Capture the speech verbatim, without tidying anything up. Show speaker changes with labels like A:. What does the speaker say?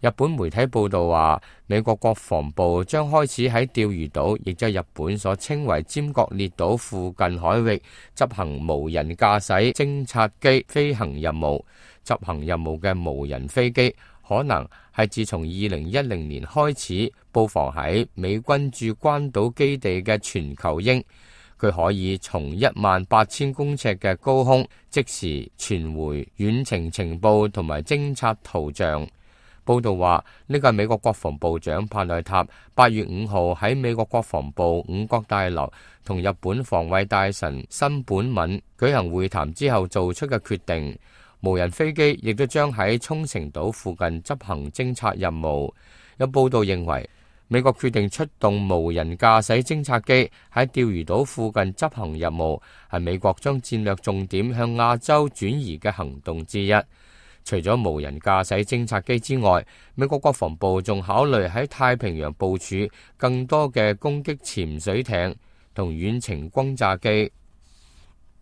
A: 日本媒體報道話，美國國防部將開始喺釣魚島，亦即係日本所稱為尖閣列島附近海域執行無人駕駛偵察機飛行任務。執行任務嘅無人飛機可能係自從二零一零年開始布防喺美軍駐關島基地嘅全球鷹。佢可以從一萬八千公尺嘅高空即時傳回遠程情報同埋偵察圖像。報道話，呢個係美國國防部長帕內塔八月五號喺美國國防部五角大樓同日本防衛大臣新本敏舉行會談之後做出嘅決定。無人飛機亦都將喺沖繩島附近執行偵察任務。有報道認為，美國決定出動無人駕駛偵察機喺釣魚島附近執行任務，係美國將戰略重點向亞洲轉移嘅行動之一。除咗無人駕駛偵察機之外，美國國防部仲考慮喺太平洋部署更多嘅攻擊潛水艇同遠程轟炸機。